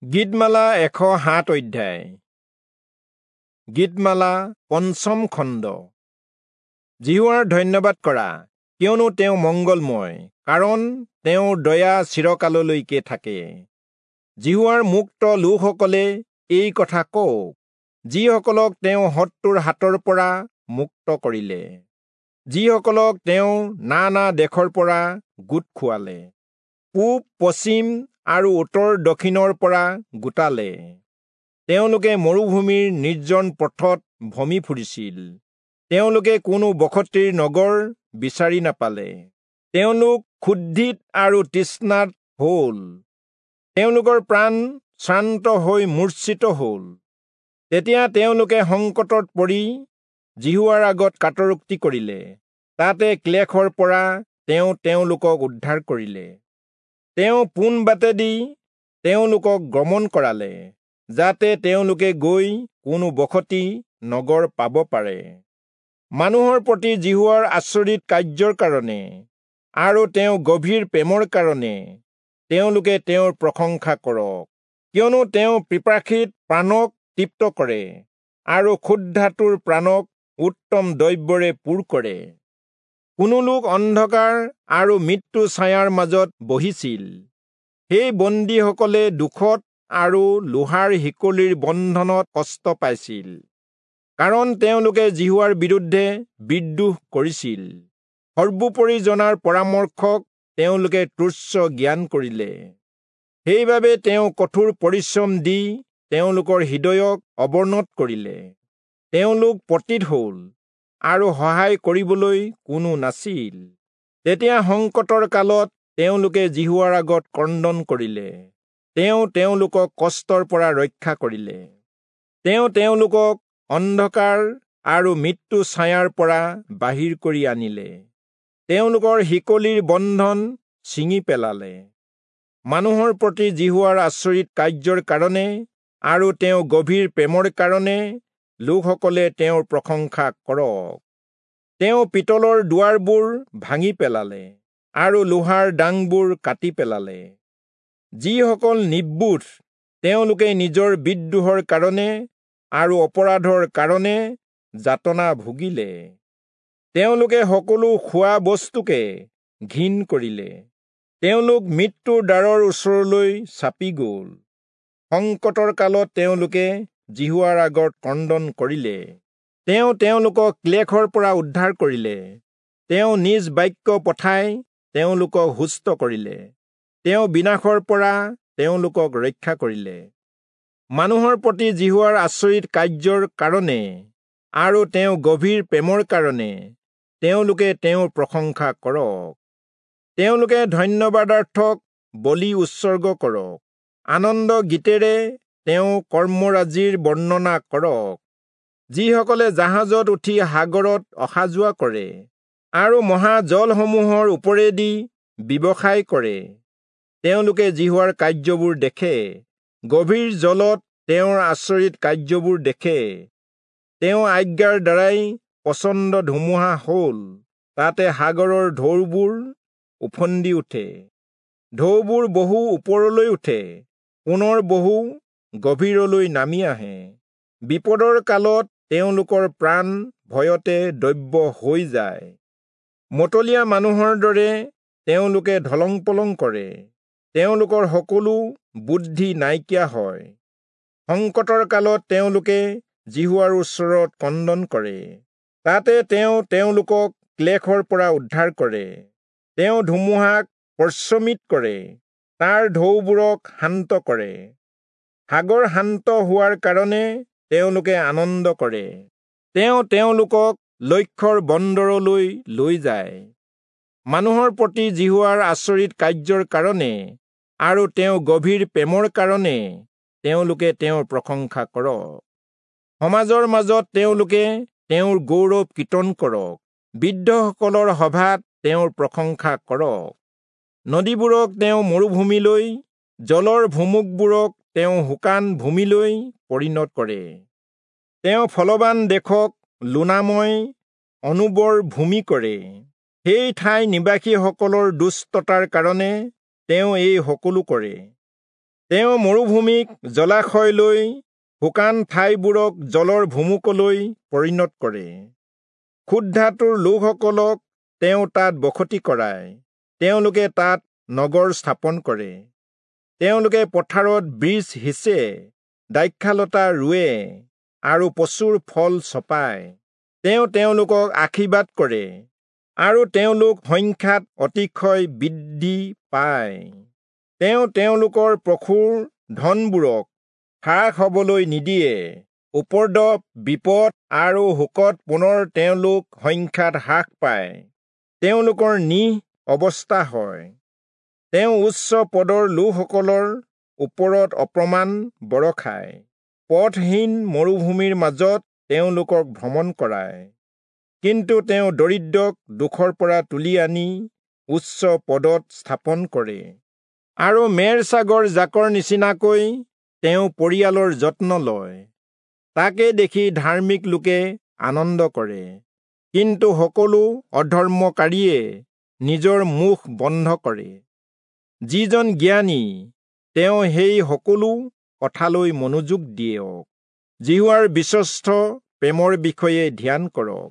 গীতমালা 107 অধ্যায়। গীতমালা পঞ্চম খণ্ড। যিহোৱাৰ ধন্যবাদ কৰা, কিয়নো তেওঁ মংগলময়, কাৰণ তেওঁৰ দয়া চিৰকাললৈকে থাকে। যিহোৱাৰ মুক্ত লোকসকলে এই কথা কওক, যিসকলক তেওঁ শত্ৰুৰ হাতৰ পৰা মুক্ত কৰিলে, যিসকলক তেওঁ নানা দেশৰ পৰা গোট খুৱালে, পূব পশ্চিম আৰু উত্তৰ দক্ষিণৰ পৰা গোটালে। তেওঁলোকে মৰুভূমিৰ নিৰ্জন পথত ভ্ৰমি ফুৰিছিল, তেওঁলোকে কোনো বসতিৰ নগৰ বিচাৰি নাপালে। তেওঁলোক ক্ষুধিত আৰু তৃষ্ণাত হ'ল, তেওঁলোকৰ প্ৰাণ শ্ৰান্ত হৈ মূৰ্ছিত হ'ল। তেতিয়া তেওঁলোকে সংকটত পৰি যিহোৱাৰ আগত কাতৰোক্তি কৰিলে, তাতে ক্লেশৰ পৰা তেওঁ তেওঁলোকক উদ্ধাৰ কৰিলে। তেওঁ পোন বাটেদি তেওঁলোকক গমন কৰালে, যাতে তেওঁলোকে গৈ কোনো বসতি নগৰ পাব পাৰে। মানুহৰ প্ৰতি যিহোৱাৰ আচৰিত কাৰ্যৰ কাৰণে আৰু তেওঁ গভীৰ প্ৰেমৰ কাৰণে তেওঁলোকে তেওঁৰ প্ৰশংসা কৰক, কিয়নো তেওঁ পিপাসিত প্ৰাণক তৃপ্ত কৰে আৰু ক্ষুধাতুৰ প্ৰাণক উত্তম দ্ৰব্যৰে পূৰ কৰে। কোনো লোক অন্ধকাৰ আৰু মৃত্যু ছায়াৰ মাজত বহিছিল, সেই বন্দীসকলে দুখত আৰু লোহাৰ শিকলিৰ বন্ধনত কষ্ট পাইছিল, কাৰণ তেওঁলোকে যিহোৱাৰ বিৰুদ্ধে বিদ্ৰোহ কৰিছিল। সৰ্বোপৰি জনাৰ পৰামৰ্শক তেওঁলোকে তুচ্ছ জ্ঞান কৰিলে। সেইবাবে তেওঁ কঠোৰ পৰিশ্ৰম দি তেওঁলোকৰ হৃদয়ক অৱনত কৰিলে। তেওঁলোক পতিত হ'ল আৰু সহায় কৰিবলৈ কোনো নাছিল। তেতিয়া সংকটৰ কালত তেওঁলোকে যিহোৱাৰ আগত ক্ৰন্দন কৰিলে, তেওঁ তেওঁলোকক কষ্টৰ পৰা ৰক্ষা কৰিলে। তেওঁ তেওঁলোকক অন্ধকাৰ আৰু মৃত্যু ছায়াৰ পৰা বাহিৰ কৰি আনিলে, তেওঁলোকৰ শিকলিৰ বন্ধন ছিঙি পেলালে। মানুহৰ প্ৰতি যিহোৱাৰ আচৰিত কাৰ্যৰ কাৰণে আৰু তেওঁ গভীৰ প্ৰেমৰ কাৰণে লোকসকলে তেওঁৰ প্ৰশংসা কৰক। তেওঁ পিতলৰ দুৱাৰবোৰ ভাঙি পেলালে আৰু লোহাৰ ডাংবোৰ কাটি পেলালে। যিসকল নিৰ্বোধ, তেওঁলোকে নিজৰ বিদ্ৰোহৰ কাৰণে আৰু অপৰাধৰ কাৰণে যাতনা ভুগিলে। তেওঁলোকে সকলো খোৱা বস্তুকে ঘিণ কৰিলে, তেওঁলোক মৃত্যুৰ দ্বাৰৰ ওচৰলৈ চাপি গ'ল। সংকটৰ কালত তেওঁলোকে যিহোৱাৰ আগত ক্ৰন্দন কৰিলে, তেওঁ তেওঁলোকক ক্লেশৰ পৰা উদ্ধাৰ কৰিলে। তেওঁ নিজ বাক্য পঠাই তেওঁলোকক সুস্থ কৰিলে, তেওঁ বিনাশৰ পৰা তেওঁলোকক ৰক্ষা কৰিলে। মানুহৰ প্ৰতি যিহোৱাৰ আচৰিত কাৰ্যৰ কাৰণে আৰু তেওঁ গভীৰ প্ৰেমৰ কাৰণে তেওঁলোকে তেওঁৰ প্ৰশংসা কৰক। তেওঁলোকে ধন্যবাদাৰ্থক বলি উৎসৰ্গ কৰক, আনন্দ গীতেৰে তেওঁ কৰ্মৰাজিৰ বৰ্ণনা কৰক। যিসকলে জাহাজত উঠি সাগৰত অহা যোৱা কৰে আৰু মহাজলসমূহৰ ওপৰেদি ব্যৱসায় কৰে, তেওঁলোকে যিহোৱাৰ কাৰ্যবোৰ দেখে, গভীৰ জলত তেওঁৰ আচৰিত কাৰ্যবোৰ দেখে। তেওঁ আজ্ঞাৰ দ্বাৰাই প্ৰচণ্ড ধুমুহা হ'ল, তাতে সাগৰৰ ঢৌবোৰ ওফন্দি উঠে। ঢৌবোৰ বহু ওপৰলৈ উঠে, পুনৰ বহু গভীৰলৈ নামি আহে। বিপদৰ কালত তেওঁলোকৰ প্ৰাণ ভয়তে দ্ৰব্য হৈ যায়। মতলীয়া মানুহৰ দৰে তেওঁলোকে ঢলং পলং কৰে, তেওঁলোকৰ সকলো বুদ্ধি নাইকিয়া হয়। সংকটৰ কালত তেওঁলোকে যিহোৱাৰ ওচৰত ক্ৰন্দন কৰে, তাতে তেওঁ তেওঁলোকক ক্লেশৰ পৰা উদ্ধাৰ কৰে। তেওঁ ধুমুহাক প্ৰশমিত কৰে, তাৰ ঢৌবোৰক শান্ত কৰে। সাগৰ শান্ত হোৱাৰ কাৰণে তেওঁলোকে আনন্দ কৰে। তেওঁ তেওঁলোকক লক্ষ্যৰ বন্দৰলৈ লৈ যায়। মানুহৰ প্ৰতি যিহোৱাৰ আচৰিত কাৰ্যৰ কাৰণে আৰু তেওঁ গভীৰ প্ৰেমৰ কাৰণে তেওঁলোকে তেওঁৰ প্ৰশংসা কৰক। সমাজৰ মাজত তেওঁলোকে তেওঁৰ গৌৰৱ কীৰ্তন কৰক, বৃদ্ধসকলৰ সভাত তেওঁৰ প্ৰশংসা কৰক। নদীবোৰক তেওঁ মৰুভূমিলৈ, জলৰ ভুমুকবোৰক তেওঁ শুকান ভূমিলৈ পৰিণত কৰে। তেওঁ ফলৱান দেশক লোনাময় অনুৰ্বৰ ভূমি কৰে। সেই ঠাই নিবাসীসকলৰ দুষ্টতাৰ কাৰণে তেওঁ এই সকলো কৰে। তেওঁ মৰুভূমিক জলাশয়লৈ, শুকান ঠাইবোৰক জলৰ ভুমুকলৈ পৰিণত কৰে। ক্ষুধাতুৰ লোকসকলক তেওঁ তাত বসতি কৰায়, তেওঁলোকে তাত নগৰ স্থাপন কৰে। তেওঁলোকে পথাৰত বীজ সিঁচে, দ্ৰাক্ষালতা ৰুৱে আৰু প্ৰচুৰ ফল চপায়। তেওঁ তেওঁলোকক আশীৰ্বাদ কৰে আৰু তেওঁলোক সংখ্যাত অতিশয় বৃদ্ধি পায়। তেওঁ তেওঁলোকৰ পশুৰ ধনবোৰক হ্ৰাস হবলৈ নিদিয়ে। উপদ্ৰৱ, বিপদ আৰু শোকত পুনৰ তেওঁলোক সংখ্যাত হ্ৰাস পায়, তেওঁলোকৰ নিঃ অৱস্থা হয়। তেওঁ উচ্চ পদৰ লোকসকলৰ ওপৰত অপমান বৰষায়, পথহীন মৰুভূমিৰ মাজত তেওঁলোকক ভ্ৰমণ কৰায়। কিন্তু তেওঁ দৰিদ্ৰক দুখৰ পৰা তুলি আনি উচ্চ পদত স্থাপন কৰে আৰু মেৰ ছাগৰ জাকৰ নিচিনাকৈ তেওঁ পৰিয়ালৰ যত্ন লয়। তাকে দেখি ধাৰ্মিক লোকে আনন্দ কৰে, কিন্তু সকলো অধৰ্মকাৰীয়ে নিজৰ মুখ বন্ধ কৰে। যিজন জ্ঞানী, তেওঁ সেই সকলো কথালৈ মনোযোগ দিয়ক। যিহোৱাৰ বিশ্বস্ত প্ৰেমৰ বিষয়ে ধ্যান কৰক।